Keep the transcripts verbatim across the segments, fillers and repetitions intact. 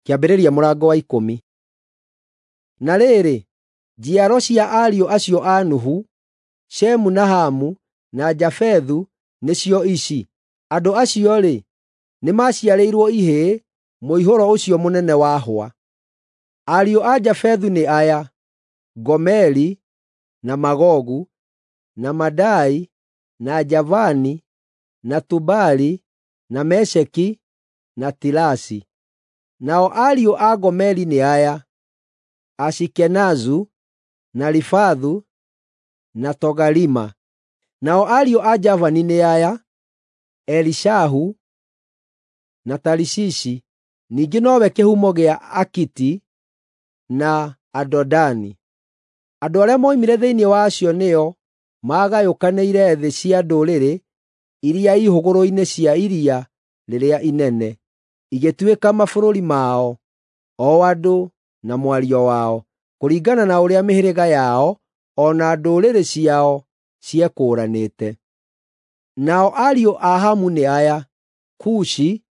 Kĩambĩrĩria mũrango wa ikũmi. Na rĩrĩ, njiaro cia ariũ acio a Nuhu, Shemu na Hamu na Jafethu nĩcio ici: Andũ acio-rĩ, nĩmaciarĩirwo ihĩĩ mũihũro ũcio mũnene wahwa. Ariũ a Jafethu nĩ aya: Gomeri, na Magogu, na Madai, na Javani, na Tubali, na Mesheki, na Tirasi. Nao ariũ a Gomeri nĩ aya: Ashikenazu, na Rifathu, na Togarima. Nao ariũ a Javani nĩ aya: Elishahu, na Tarishishi, ningĩ nowe kĩhumo gĩa Akiti na Adodani. Andũ arĩa moimire thĩinĩ wa acio nĩo maagayũkanĩire thĩ cia ndũrĩrĩ iria i hũgũrũrũ-inĩ cia iria rĩrĩa inene, igĩtuĩka mabũrũri mao, o andũ na mwario wao, kũringana na ũrĩa mĩhĩrĩga yao o na ndũrĩrĩ ciao ciekũũranĩte. Nao ariũ a Hamu nĩ aya: Kushi,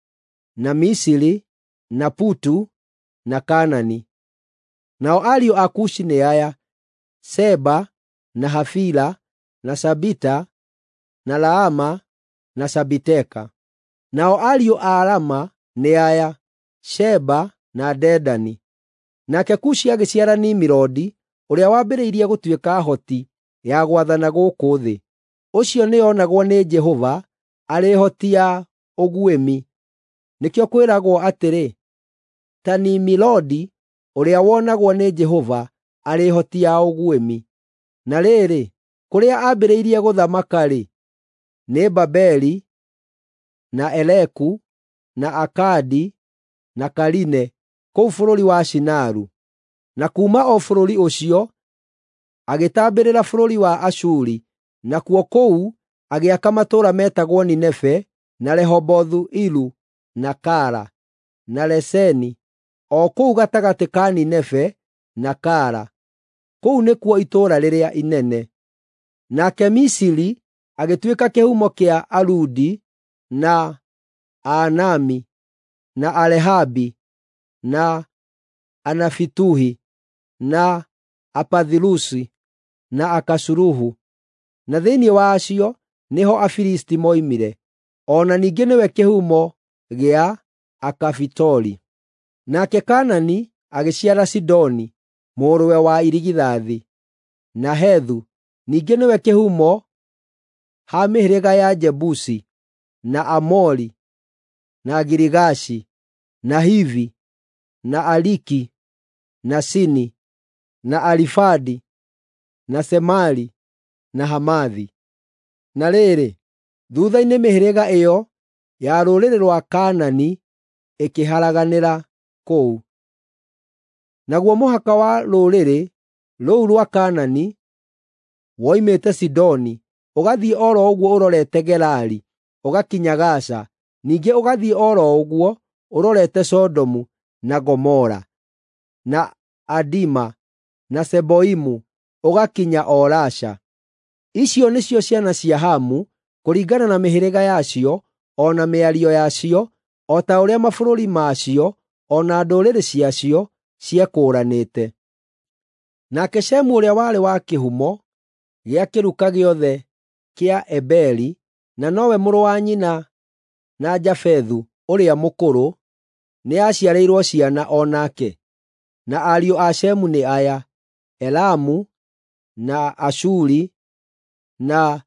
na Misiri, na Putu, na Kaanani. Nao ariũ a Kushi nĩ aya: Seba, na Havila, na Sabita, na Raama, na Sabiteka. Nao ariũ a Rama nĩ aya: Sheba na Dedani. Nake Kushi agĩciara Nimirodi, ũrĩa wambĩrĩirie gũtuĩka hoti ya gwathana gũkũ thĩ. Ũcio nĩonagwo nĩ Jehova arĩ hoti ya ũguĩmi. Nĩkĩo kwĩragwo atĩrĩ, ta Nimurodi ũrĩa wonagwo nĩ Jehova arĩ hoti ya ũguĩmi. Na rĩrĩ, kũrĩa aambĩrĩirie gũthamaka-rĩ, nĩ Babeli, na Ereku, na Akadi, na Kaline, kũu bũrũri wa Shinaru. Na kuuma o bũrũri ũcio agĩtambĩrĩra bũrũri wa Ashuri, nakuo kũu agĩaka matũũra metagwo Nineve, na Rehobothu-Iru, na Kala, na Reseni, o kũu gatagatĩ ka Nineve na Kala. Kũu nĩkuo itũũra rĩrĩa inene. Nake Misiri agĩtuĩka kĩhumo kĩa Aludi, na Aanami, na Alehabi, na Anafituhi, na Apathirusi, na Akasuluhu. Na thĩinĩ wa acio nĩho Afilisti moimire. O na ningĩ nĩwe kĩhumo gĩa Akafitori. Nake Kaanani agĩciara Sidoni, mũrũwe wa irigithathi, na Hethu, ningĩ nĩwe kĩhumo ha mĩhĩrĩga ya Jebusi, na Amori, na Girigashi, na Hivi, na Ariki, na Sini, na Arifadi, na Semari, na Hamathi. Na rĩrĩ, thuutha-inĩ mĩhĩrĩga ĩyo ya rũrĩrĩ rwa Kaanani ĩkĩharaganĩra kũu. Naguo mũhaka wa rũrĩrĩ rũu rwa Kaanani woimĩte Sidoni, ũgathiĩ o ro ũguo ũrorete Gerari, ũgakinya Gaza, ningĩ ũgathiĩ o ro ũguo ũrorete Sodomu na Gomora, na Adima, na Zeboimu, ũgakinya o Lasha. Icio nĩcio ciana cia Hamu kũringana na mĩhĩrĩga yacio o na mĩario yacio, o ta ũrĩa mabũrũri macio o na ndũrĩrĩ ciacio ciekũũranĩte. Nake Shemu ũrĩa warĩ wa kĩhumo gĩa kĩruka gĩothe kĩa Eberi, na nowe mũrũ wa nyina na Jafethu ũrĩa mũkũrũ, nĩaciarĩirwo ciana o nake. Na ariũ a Shemu nĩ aya: Elamu, na Ashuri, na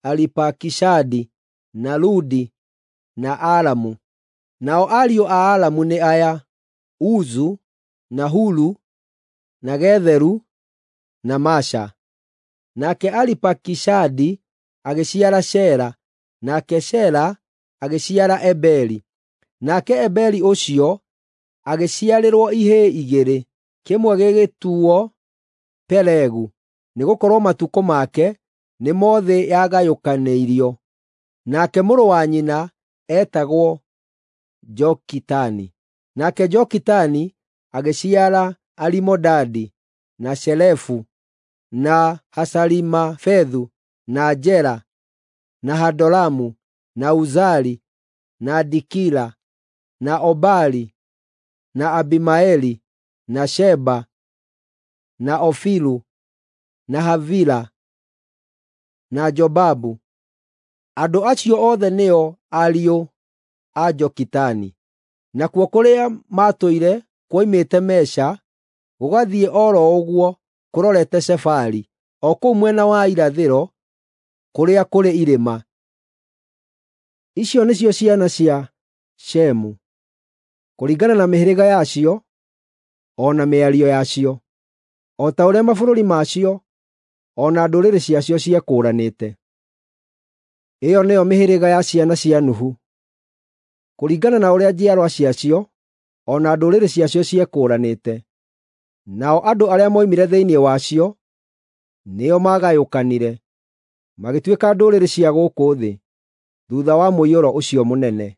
Aripakishadi, na Ludi, na Aramu. Nao ariũ a Aramu nĩ aya: Uzu, na Hulu, na Getheru, na Masha. Nake Aripakishadi agĩciara Shela, nake Shela agĩciara Eberi. Nake Eberi ũcio agĩciarĩrwo ihĩĩ igĩrĩ, kĩmwe gĩgĩtuuo Pelegu, nĩgũkorwo matukũ make nĩmo thĩ yagayũkanĩirio, nake mũrũ wa nyina eetagwo Jokitani. Nake Jokitani agĩciara Alimodadi, na Shelefu, na Hasarimafethu, na Jera, na Hadoramu, na Uzali, na Dikila, na Obali, na Abimaeli, na Sheba, na Ofiru, na Havila, na Jobabu. Andũ acio othe nĩo ariũ a Jokitani. Nakuo kũrĩa maatũire kuoimĩte Mesha gũgathiĩ o ro ũguo kũrorete Sefari, o kũu mwena wa irathĩro kũrĩa kũrĩ irĩma. Icio nĩcio ciana cia Shemu, kũringana na mĩhĩrĩga yacio o na mĩario yacio, o ta ũrĩa mabũrũri macio o na ndũrĩrĩ ciacio ciekũũranĩte. Ĩyo nĩyo mĩhĩrĩga ya ciana cia Nuhu, kũringana na ũrĩa njiarwa ciacio o na ndũrĩrĩ ciacio ciekũũranĩte. Nao andũ arĩa moimire thĩinĩ wacio nĩo maagayũkanire, magĩtuĩka ndũrĩrĩ cia gũkũ thĩ, thuutha wa mũiyũro ũcio mũnene.